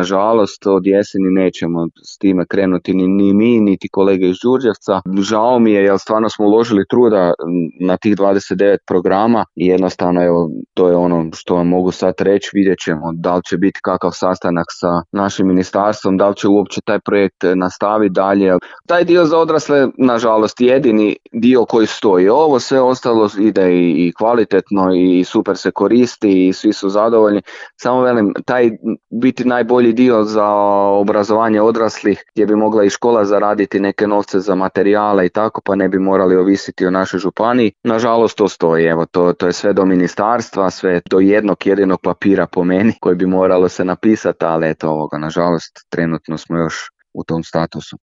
nažalost od jeseni nećemo s time krenuti ni mi, niti kolege iz Đurđevca. Žao mi je jer stvarno smo uložili truda na tih 29 programa i jednostavno evo, to je ono što vam mogu sad reći. Vidjet ćemo da li će biti kakav sastanak sa našim ministarstvom, da li će uopće taj projekt nastaviti dalje. Taj dio za odrasle, nažalost, jedini dio koji stoji. Ovo sve ostalo ide i kvalitetno i super se koristi i svi su zadovoljni. Samo velim, taj biti najbolji dio za obrazovanje odraslih gdje bi mogla i škola zaraditi neke novce za materijale i tako, pa ne bi morali ovisiti o našoj županiji. Nažalost, to stoji. Evo, to je sve do ministarstva, sve do jednog jedinog papira po meni koji bi moralo se napisati, ali eto ovoga, nažalost, trenutno smo još u tom statusu.